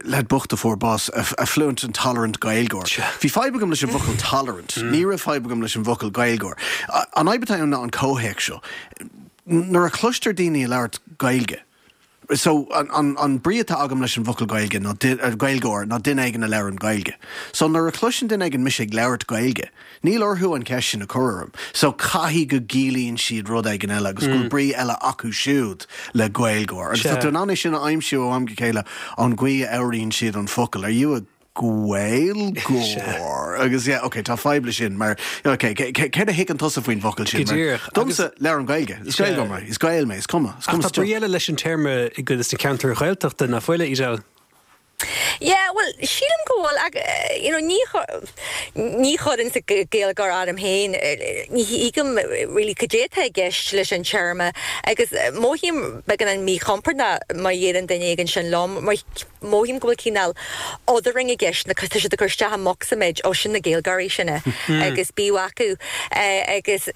leaid bocht a fuair bás, a fluent and tolerant Gaeilgeoir. Bhí fadhb agam leis an bhfocal tolerant, ní raibh fadhb agam leis an bhfocal Gaeilgeoir. An fhadhb atá ann ná an comhthéacs seo. Nuair a chloistear daoine ag labhairt Gaeilge, So, an, an brí atá agam leis an bhfocal Gaeilge ná, Gaeilgeoir, ná duine éigin a labhrann Gaeilge. So, nuair a chloiseann duine éigin mise ag labhairt Gaeilge, níl orthu an cheist sin a chur orm. So, caithfidh go gciallaíonn siad rud éigin eile agus go bhfuil brí eile acu siúd le Gaeilgeoir. Agus tá tú in ann é sin a aimsiú ó am go chéile ón gcaoi a labhraíonn siad an focal. Are you a Gaeilgeoir agus yeah ok tá fadhb leis sin mar ok céard a thuigeann tusa faoin bhfocal sin Go díreach. Domsa labhraím Gaeilge is Gaeilgeoir mé is Gael mé is cuma is cuma Ach tá brí eile leis an téarma i gcuid de na ceantair Ghaeltachta nach bhfuil, a Edel? Yeah bhuel sílim go bhfuil ach you know ní ní chuirinnse Gaeilgeoir orm féin ní thuigim really cad é atá i gceist leis an téarma agus mothaím beagán míchompordach má dheireann duine éigin sin liom mar Mothaím go bhfuil cineál othering i gceist, na, tá siad ag cur isteach i mbocsa muid, ó sin na Gaeilgeoirí sin é agus bíodh acu agus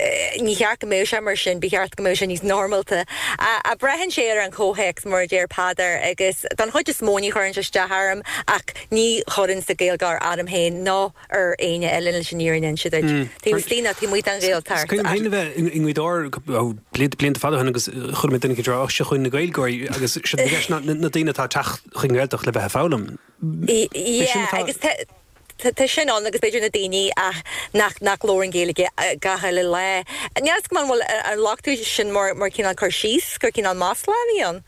ní cheart go mbeadh sé mar sin, ba cheart go mbeadh sé níos normálta. Ach braitheann sé ar an chomhthéacs mar a deir Peadar agus don chuid is mó ní chuireann sé isteach orm ach ní chuirinnse Gaeilgeoir orm féin ná ar éinne eile leis an fhírinne a inse duit. Taobh istigh nó taobh amuigh den Ghaeltacht. Is cuimhin liom féin a bheith i nGaoth Dobhair blianta fada ó shin agus chuala mé duine ag rá, seo chugainn na Gaeilgeoirí agus séard a bhí i gceist ná na daoine atá ag teacht chuig an nGaeltacht le bheith ag foghlaim. Yeah, agus tá sin ann agus b'fhéidir na daoine ach nach nach labhrann Gaeilge gach uile lá. Níl a fhios agam an bhfuil an nglac tú sin mar mar cineál cur síos gur cineál masla a bhí ann.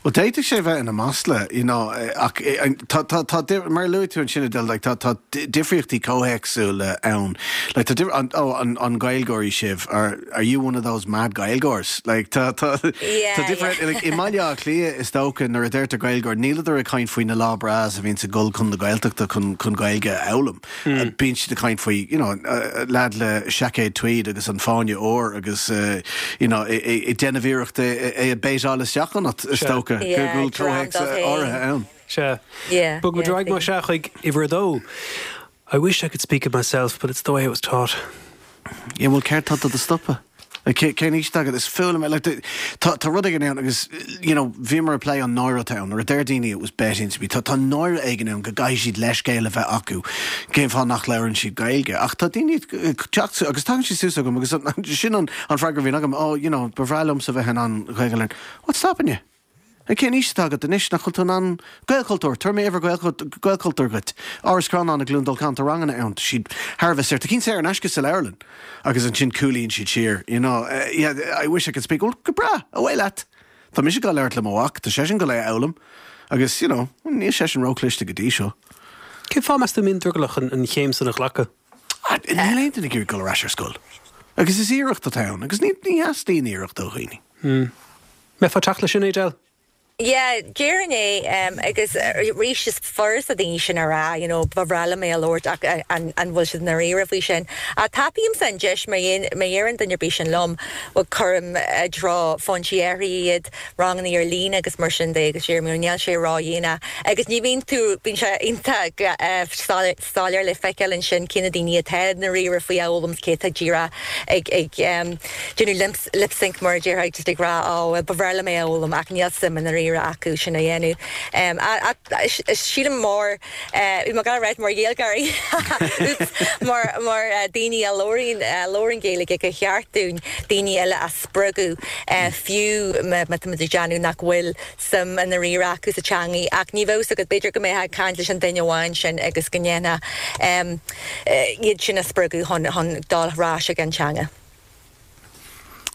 Bhuel, d'fhéadfadh sé bheith ina masla, you know, ach tá, tá, tá, mar a luaigh tú ansin, Edel, like, tá, tá difríochtaí comhthéacsúla ann. Like, tá difr-, an, oh, an, an Gaeilgeoirí sibh? Are, are you one of those mad Gaeilgeoirs? Like, tá, tá, Yeah, tá difríocht, yeah. like, i mBaile Átha Cliath, is dócha, nuair a deirtear Gaeilgeoir, níleadar ag caint faoi na lá breás a bhíonns ag dul chun na Gaeltachta chun, chun Gaeilge a fhoghlaim. Bíonn siad ag caint faoi, you know, leaid le seaicéad tweed agus an fáinne óir agus, you know, ag déanamh iarracht é a baitáil isteach ionat, is dócha, go bhfuil comhthéacs áirithe ann. Sea. Bogfaimid ar aghaidh más ea chuig uimhir a dó. I wish I could speak it myself, but it's the way I was taught. Yeah, bhuel, céard tá do do stopadh? Like, cén aois atá agat? Is fuath liom é. Like, tá, tá rud éigin ann agus, you know, bhíomar ag plé an náire atá ann. Nuair a deir daoine it was beat into me, tá, tá náire éigin ann go gcaithfidh siad leithscéal a bheith acu cén fáth nach labhrann siad Gaeilge. Ach tá daoine ag teacht agus tagann siad suas chugam agus sin an, an freagra a bhíonn agam, oh, you know, ba bhreá liomsa bheith in ann Gaeilge a labhairt. What's stopping you? Cén aois atá agat anois nach bhfuil tú in ann Gaelchultúr, tabharfaidh mé uimhir Gaelchultúr dhuit. Áras Chrónáin i gCluain Dolcáin, tá ranganna ann, tá siad thar a bheith saor, tá cinn saor in aisce sa leabharlann agus ansin cúlaíonn siad siar, you know, yeah, I wish I could speak, well, go breá, away leat! Tá mise ag dul labhairt le mo mhac, tá seisean ag dul é a fhoghlaim agus, you know, níl seisean róchliste go dtí seo. Cén fáth, meas tú, a mbíonn drogallach an chéim san a ghlacadh? Níl aon duine ag iarraidh dul ar ais ar scoil agus is iarracht atá ann agus ní theastaíonn iarracht ó dhaoine. Mbeifeá ag teacht leis sin, Edel? Yeah, déarfainn é, agus arís is furasta daoine sin a rá, you know, ba bhreá liom é a labhairt ach an bhfuil siad i ndáiríre faoi sin? Ach tapaímse an deis má dheireann duine ar bith sin liom, bhuel cuirim i dtreo foinsí áirithe iad, ranganna ar líne agus mar sin de agus deirim, you know, níl sé ródhéanach agus ní bhíonn tú, bíonn sé iontach soiléir le feiceáil ansin cé na daoine atá i ndáiríre faoi a fhoghlaim 's cé atá díreach ag ag déanamh lip sync mar a déarfá, just ag rá oh well ba bhreá liom é a fhoghlaim ach níl suim i ndáiríre. ndáiríre acu sin a dhéanamh. Sílim mar, bhí mé ag dul a ráit mar Ghaeilgeoirí, oops, mar mar daoine a labhraíonn a labhrann Gaeilge gur cheart dúinn daoine eile a spreagadh fiú má táimid ag déanamh nach bhfuil suim i ndáiríre acu sa teangaidh ach ní bheadh 's agat, b'fhéidir go mbeifeá ag caint leis an duine amháin sin agus go ndéanfá iad sin a spreagadh chun chun dul ar ais ag an teanga.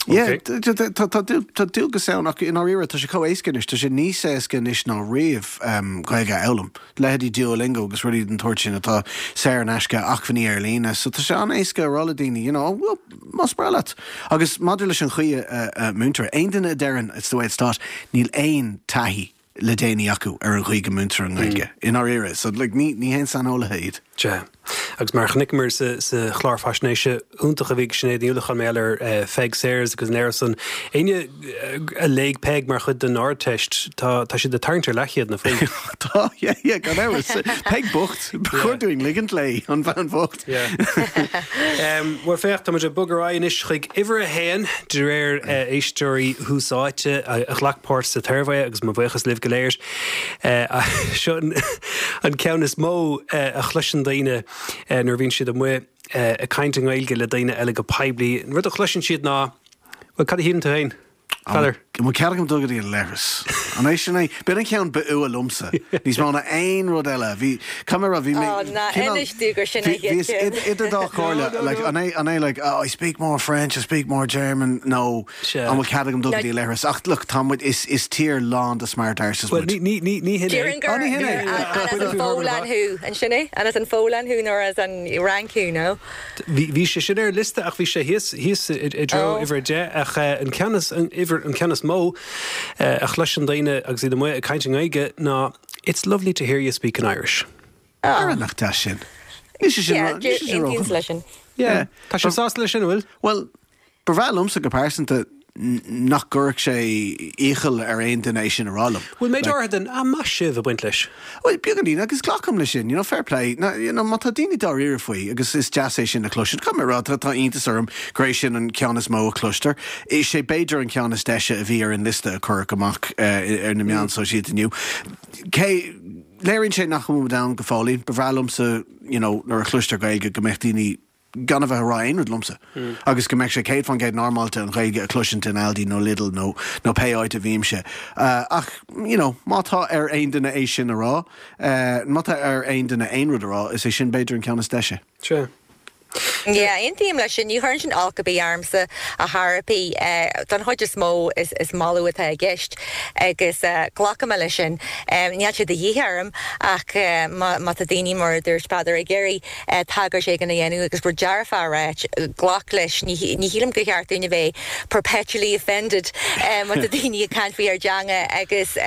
Yeah, tá dualgas ann ach i ndáiríre tá sé chomh éasca anois, tá sé níos éasca anois ná riamh Gaeilge a fhoghlaim. Leithéidí Duolingo agus rudaí den tsórt sin atá saor in aisce, acmhainní ar líne, so tá sé an-éasca a rá le daoine, you know, oh, well, más breá leat. Agus maidir leis an chaoi a múintear, aon duine a deireann it's the way it's taught, níl aon taithí le déanaí acu ar an chaoi go múintear an Ghaeilge, i ndáiríre. So, like, ní ní haon saineolaithe iad. Sea. Agus mar a chonaiceamar sa sa chlár faisnéise iontach a bhí ag Sinéad Ní Uallacháin mar gheall ar Peig Sayers agus an léiriú san, éinne a léigh Peig mar chuid den Ardteist, tá tá siad ag tarraingt ar leathchéad nach bhfuil. Tá, yeah, yeah, gan amhras. Peig bocht. Ba chóir dúinn ligint léi, an bhean bhocht. Yeah. Bhuel, féach, tá muid ag bogadh ar aghaidh anois chuig uimhir a haon, de réir éisteoirí Thús Áite a ghlac páirt sa tsuirbhé, agus mo bhuíochas libh go léir. Seo an ceann is mó a chloiseann daoine nuair a bhíonn siad amuigh ag caint i nGaeilge le daoine eile go poiblí. An rud a chloiseann siad ná, Bhuel, cad a shíleann tú féin? Peadar. An bhfuil cead agam dul go dtí an leithreas? An é sin é? B'in an ceann ba fhuath liomsa. Níos mó ná aon rud eile. Bhí, caithfidh mé a rá, bhí mé, Ó, ná cineál, inis domh gur sin an bhí, bhíos chéad ceann. idir dá chomhairle, like, an é, an é like, oh, I speak more French, I speak more German, nó Sea. an bhfuil cead agam dul go dtí an leithreas? Ach look, tá muid, is, is tír lán de smart arses Bhuel, muid. ní, ní, ní, ní hin é. Déarfainn Ó, gur, ní hin gur é. an, an as an Pholainn thú, an sin é? An as an Pholainn thú nó as an Fhrainc thú, nó? Bhí sé sin ar an liosta ach bhí sé thíos, thíos i dtreo uimhir a 10 ach an ceann is, an uimhir, an ceann is mó a chloiseann daoine agus iad amuigh ag caint i nGaeilge ná It's lovely to hear you speak in Irish. Ara nach deas sin. Níl sé sin, níl sé sin róchuma. Yeah. Tá sibh sásta leis sin, an bhfuil? Bhuel, Ba bhreá liomsa go pearsanta nach gcuirfeadh sé iachall ar aon duine é sin a rá liom. Bhfuil méid áirithe den 'ah, maith sibh' ag baint leis? Bhuel, beagáinín, agus glacaim leis sin, you know, fair play. Now, you know, má tá daoine dáiríre faoi, agus is deas é sin a chloisint, caithfidh mé a rá, tá, tá iontas orm gur é sin an ceann is mó a chloistear. Is é b'fhéidir an ceann is deise a bhí ar an liosta a cuireadh amach ar na meáin sóisialta inniu. Cé, léiríonn sé nach bhfuil muid ann go fóillín. Ba bhreá liomsa, you know, nuair a chloistear Gaeilge go mbeadh daoine, gan a bheith ag rá aon rud liomsa agus go mbeadh sé 100% normálta an Ghaeilge a chloisint in Aldi nó Lidl nó nó pé áit a bhímse. Ach, you know, má tá ar aon duine é sin a rá, má tá ar aon duine aon rud a rá, is é sin b'fhéidir an ceann is deise. Sea. Yeah, aontaím leis sin. Ní chuireann sin olc ar bith ormsa ar chor ar bith. Don chuid is mó is moladh atá i gceist agus glacaim leis sin. Níl sé de dhíth orm ach má tá daoine, mar a dúirt Peadar, ag iarraidh tagairt éigin a dhéanamh agus rud dearfach a ráit, glac leis. Ní shílim gur cheart dúinn a bheith perpetually offended má tá daoine ag caint faoi ár dteanga agus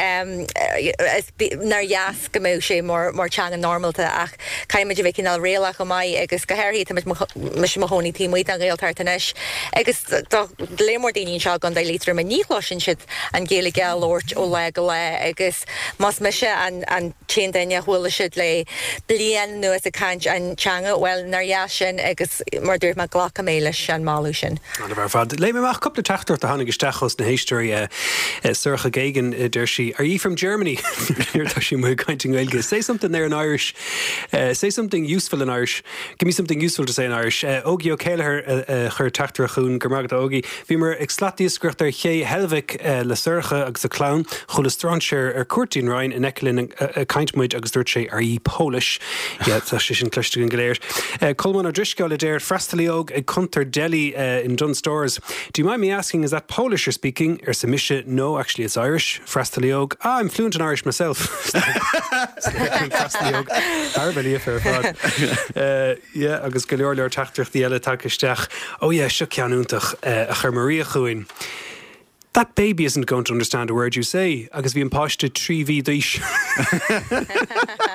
nár dheas go mbeadh sé mar teanga normálta ach caithfidh muid a bheith cineál réalach chomh maith agus go háirithe tá mise i mo chónaí taobh amuigh den Ghaeltacht anois agus tá lear mór daoine anseo i gContae Liatroma ní chloiseann siad an Ghaeilge á labhairt ó lá go lá agus más mise an t-aon duine a chuala siad le bliain anuas ag caint an teanga, bhuel, nár dheas sin agus mar a dúirt mé, glacfaidh mé leis an moladh sin. An-mhaith ar fad. Léifidh mé amach cúpla teachtaireacht a tháinig isteach ós na héisteoirí. Sorcha Geoghegan, deir sí, Are ye from Germany? Nuair atá sí amuigh ag caint i nGaeilge. Say something there in Irish. Say something useful in Irish. Give me something useful to say in Irish. Ógie Ó Céilleachair a chuir teachtaireacht chugainn. Go raibh maith agat, a Ógie. Bhíomar ag slatiascaireacht ar ché Heilbhic le Sorcha agus a clann. Chuala strainséir ar cuairt dtí'n Rinn in aice linn ag caint muid agus dúirt sé Are ye Polish? Yeah, tá sé sin cloiste againn go léir. Colmán Ó Drisceoil a deir, Freastalaí óg ag cuntar deli in Dunnes Stores. Do you mind me asking is that Polish you're speaking? Arsa mise, No, actually it's Irish. Freastalaí óg, Ah, I'm fluent in Irish myself. Freastalaí óg, thar a bheith líofa ar fad. Yeah, agus go leor leor teachtaireachtaí eile tagtha isteach. Oh yeah, seo ceann iontach a chuir Maria chugainn. That baby isn't going to understand a word you say agus bhí an páiste 3 mhí d'aois.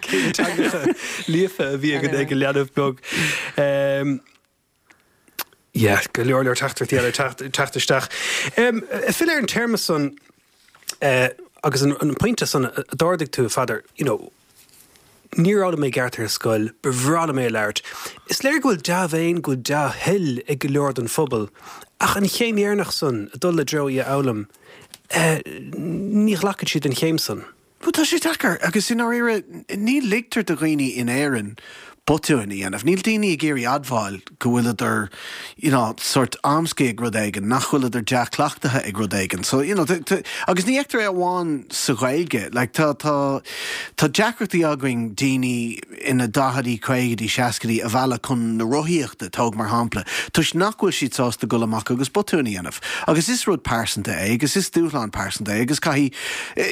Cé na teangacha líofa a bhí ag an leanbh beag. Yeah, go leor leor teachtaireachtaí eile ag teacht isteach. Filleadh ar an téarma san agus an pointe san a d'ardaigh tú, a Pheadair, you know, níor fhoghlaim mé i gceart ar scoil, ba bhreá liom é a labhairt. Is léir go bhfuil dea-mhéin, go bhfuil dea-thoil ag go leor den phobal, ach an chéim dheireanach san, ag dul i dtreo í a fhoghlaim. Ní ghlacann siad an chéim san. Bhuel, tá sé deacair, agus i ndáiríre, ní ligtear do dhaoine in Éirinn botúin a dhéanamh. Níl daoine ag iarraidh admháil go bhfuileadar, you know, sórt amscaí ag rud éigin, nach bhfuileadar dea-chleachtaithe ag rud éigin. So, you know, agus ní fheictear é amháin sa Ghaeilge. Like, tá, tá, tá deacrachtaí againn daoine ina daichidí, caogaidí, seascaidí a mhealladh chun na rothaíochta, tóg mar shampla, toisc nach bhfuil siad sásta dul amach agus botúin a dhéanamh. Agus is rud pearsanta é agus is dúshlán pearsanta é agus caithfidh,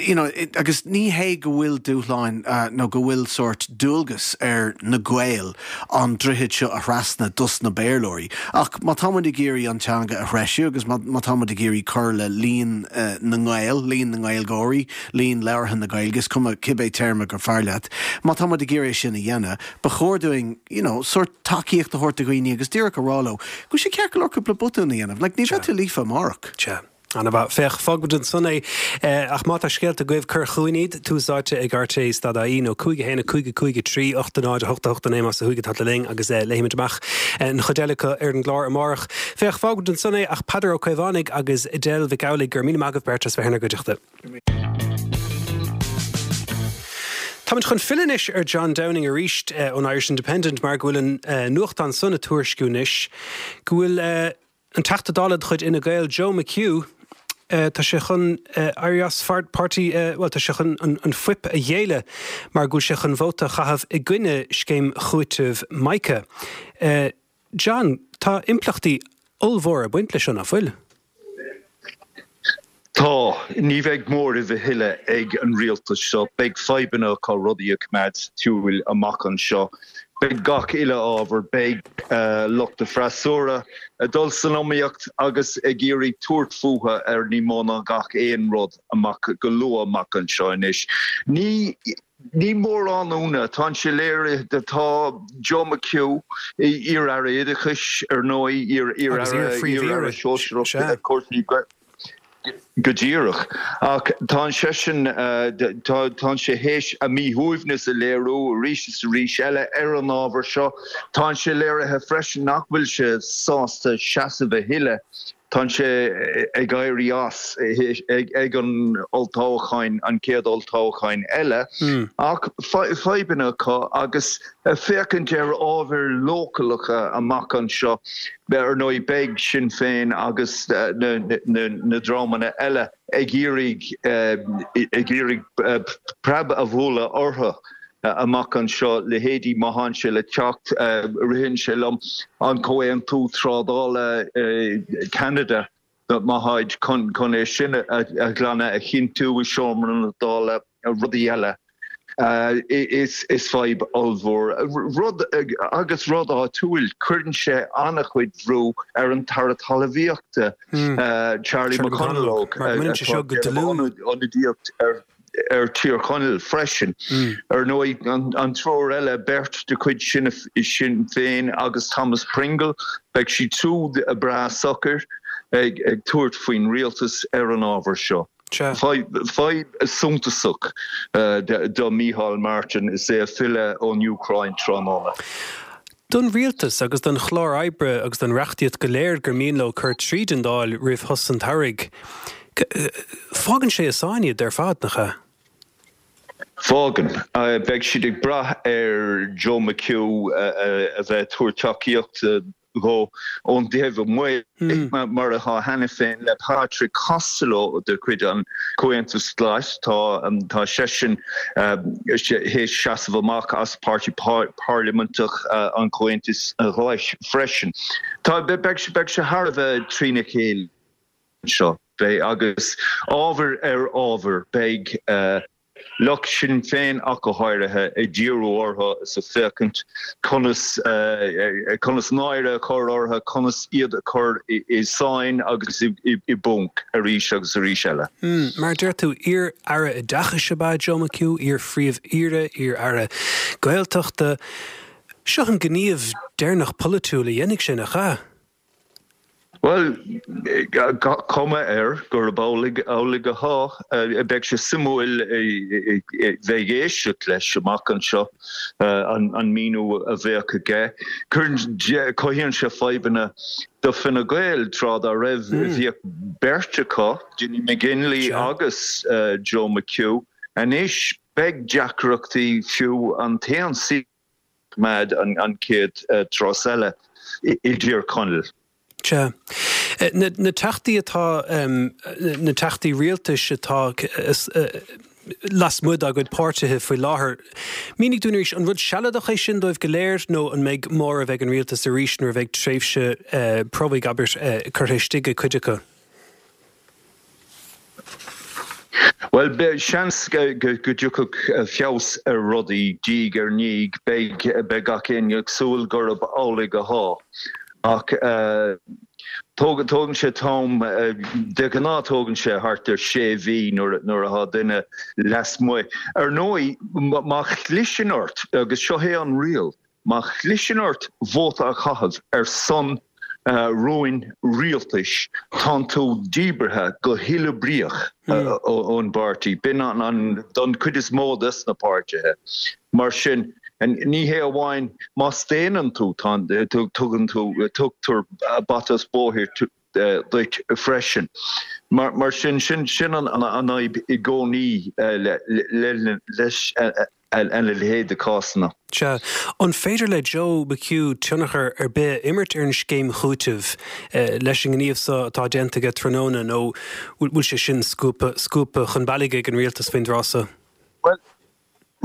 you know, agus ní hé go bhfuil dúshláin nó go bhfuil sórt dualgas ar na Gaeil an droichead seo a thrasna dos na Béarlóirí ach má tá muid ag iarraidh an teanga a threisiú agus má tá muid ag iarraidh cur le líon na nGael, líon na nGaeilgeoirí, líon labhartha na Gaeilge, is cuma cibé téarma gur fearr leat, má tá muid ag iarraidh é sin a dhéanamh, ba chóir dúinn, you know, sórt tacaíocht a thabhairt do dhaoine agus díreach a rá leo go bhfuil sé ceart go leor cúpla botún a dhéanamh. Like, ní bheidh tú líofa amárach. Sea. Ana-mhaith. Féach, fágfaimid ansan é. Ach má tá scéalta agaibh, cuir chugainn iad. Tús Áite ag rte stad ie nó 5 1 5 5 3 8 0 8 8 9 más ó thuaidh atá tú linn agus léifimid amach an chuid eile acu ar an gclár amárach. Féach, fágfaimid ansan é ach Peadar Ó Caomhánaigh agus Edel Mhic Amhlaigh, go raibh míle maith agaibh beirt as bheith inár gcuideachta. Táimid chun filleadh anois ar John Downing arís ón Irish Independent mar go bhfuil an nuachtán san ag tuairisciú anois go bhfuil an Teachta Dála de chuid Fhine Gael Joe McHugh, tá sé chun éirí as páirtí, bhuel tá sé chun an fuip a ghéilleadh mar go bhfuil sé chun vóta a chaitheamh i gcoinne scéim chúitimh Mica. John, tá impleachtaí ollmhóra ag baint leis seo, nach bhfuil? Tá. Ní bheidh móramh a thuilleadh ag an rialtas seo. Beidh fadhbanna acu rudaí a choimeád sa tsiúil amach anseo. Beidh gach uile ábhar, beidh lucht an freasúra ag dul san iomaíocht agus ag iarraidh tabhairt fúthu ar ní mó ná gach aon rud amach go luath amach anseo anois. Ní Ní mórán ionadh, tá sé léirithe, tá Joe McHugh, iar-aire oideachais ar ndóigh, iar-aire sóisearach cúrsaí go díreach, ach tá seisean, tá sé théis a mhíshuaimhneas a léiriú arís is arís eile ar an ábhar seo. Tá sé léirithe freisin nach bhfuil sé sásta seasamh a thuilleadh. Tá sé ag éirí as ag an olltoghcháin, an chéad olltoghcháin eile, ach fadhbanna acu agus féachaint ar ábhair leochaileacha amach anseo. Ar ndóigh, beidh Sinn Féin agus na dreamanna eile ag iarraidh ag iarraidh preab a bhualadh orthu. amach anseo, leithéidí má thánn sé le teacht, ritheann sé liom, an Comhaontú Trádála Ceanada, má tháid chun é sin a ghlanadh, a chinntiú i seomra na Dála, rudaí eile. Is fadhb ollmhór. Rud, agus rud áitiúil, cuireann sé an-chuid bhrú ar an tAire Talmhaíochta, Charlie McConalogue, atá ag déanamh ionadaíocht ar. ar Thír Chonaill freisin. Ar ndóigh, an triúr eile, beirt de chuid Sinn Féin agus Thomas Pringle, beidh siad siúd breá socair ag tabhairt faoin rialtas ar an ábhar seo. Fadhb suntasach do Micheál Martin is é ag filleadh ón Úcráin tráthnóna. Don rialtas agus don chlár oibre agus don reachtaíocht go léir gur mian leo cur tríd an Dáil roimh shos an tsamhraidh, fágann sé i sáinn iad ar fad, nach ea? Fágann. Beidh siad ag brath ar Joe McHugh a bheith ag tabhairt tacaíochta dhó ón dtaobh amuigh, mar atá cheana féin le Patrick Costello de chuid an Chomhaontais Ghlais. Tá seisean théis seasamh amach as Páirtí Parlaiminteach an Chomhaontais Ghlais freisin. Tá, beidh sé thar a bheith trína chéile anseo. Beidh, agus ábhar ar ábhar, beidh. Lucht Sinn Féin ach go háirithe, ag díriú orthu is ag féachaint conas conas náire a chur orthu, conas iad a chur i sáinn agus i bponc arís agus arís eile. Mar a deir tú, iar-aire oideachais ab ea Joe McHugh, iar-phríomh-aoire, iar-aire Gaeltachta. Seo an gníomh deireanach polaitiúil a dhéanfaidh sé, nach ea? Bhuel, cuma air gurb amhlaidh atá. Beidh sé suimiúil bheith ag éisteacht leis amach anseo, an míniú a bheadh aige. Cuireann, cothaíonn sé fadhbanna do Fine Gael, tráth dá raibh, bhíodh beirt acu, Dinny McGinley agus Joe McHugh. Anois beidh deacrachtaí fiú an t-aon suíochán a choimeád an chéad turas eile i dTír Chonaill. Sea. Na teachtaí atá, na teachtaí rialtais atá lasmuigh dá gcuid páirtithe faoi láthair, mínigh dúinn arís, an rud sealadach é sin dóibh go léir nó an mbeidh móramh ag an rialtas arís nuair a bheidh tréimhse promhaidh, abair, curtha istigh ag cuid acu? Bhuel, seans go dtiocfadh feabhas ar rudaí diaidh ar ndiaidh. Beidh, beidh gach éinne ag súil gurb amhlaidh athá. Ach tógann sé t-am, de ghnáth tógann sé thart ar sé mhí nuair nuair athá duine lasmuigh. Ar ndóigh, má chliseann ort, agus seo é an riail, Má chliseann ort vóta a chaitheamh ar son rúin rialtais, tánn tú díbeartha go huileoibríoch ón bpáirtí. B'in an don chuid is mó des na páirtithe. Mar sin, ní hé amháin má staonann tú, tugann tú, tugtar bata as bóthar duit freisin. Mar sin, sin an fhadhb i gcónaí leis a leithéid de cásanna. Sea. An féidir le Joe McHugh tionchar ar bith a imirt ar an scéim chúitimh leis an ngníomh so atá déanta aige tráthnóna nó bhfuil sé sin scuabtha scuabtha chun bealaigh ag an rialtas faoin dtráth so? Bhuel,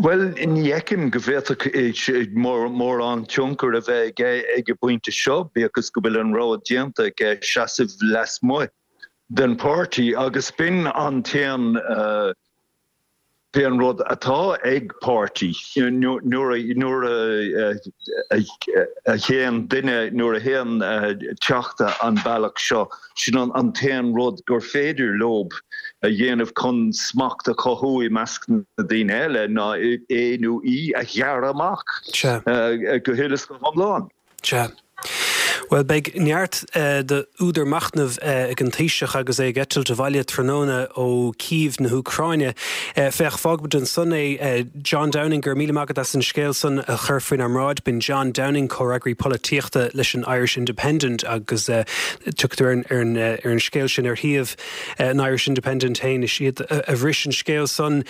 bhuel, ní fheicim go bhféadfadh mórán tionchar a bheith aige ag an bpointe seo, bíodh is go bhfuil an rogha déanta aige seasamh lasmuigh den pháirtí agus b'in an t-aon B'in an rud atá ag páirtí nuair a théann duine, nuair a théann teachta an bealach seo, sin an t-aon rud gur féidir leob a dhéanamh chun smacht a chothú i measc na daoine eile ná é nó í a ghearradh amach go huile is go hiomlán. Sea. Bhuel, beidh neart d'údar machnaimh ag an Taoiseach agus é ag eitilt abhaile tráthnóna ó Cív na hÚcráine. Féach, fágfaimid ansan é. John Downing, go raibh míle maith agat as an scéal san a chur faoinár mbráid. B'in John Downing, comhfhreagraí polaitíochta leis an Irish Independent agus tiocfaidh tú ar an scéal sin ar shuíomh an Irish Independent féin. Is iad a bhris an scéal san.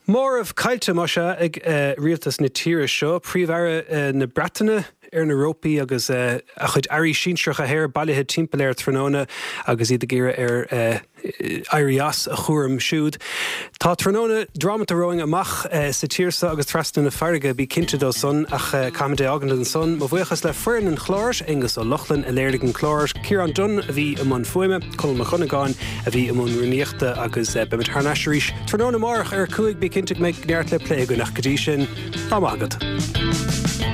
Móramh caillte, más ea, ag rialtas na tíre seo. Príomh-Aire na Breataine ar na rópaí agus a chuid airí sinsearacha thoir bailithe timpeall air tráthnóna agus iad ag iarraidh air éirí as a chúram siúd. Tá tráthnóna drámata romhainn amach sa tír seo agus trasna na farraige, bí cinnte dó san, ach caithfimid é a fhágaint ansan. Mo bhuíochas le foireann an chláir, Aonghus Ó Lochlainn a léirigh an clár, Ciarán Dunne a bhí i mbun fuaime, Conall Mac Dhonnagáin a bhí i mbun rúnaíochta agus beimid thar n-ais arís tráthnóna amárach ar 5, bí cinnte go mbeidh neart le plé againn ach go dtí sin, lá maith agat.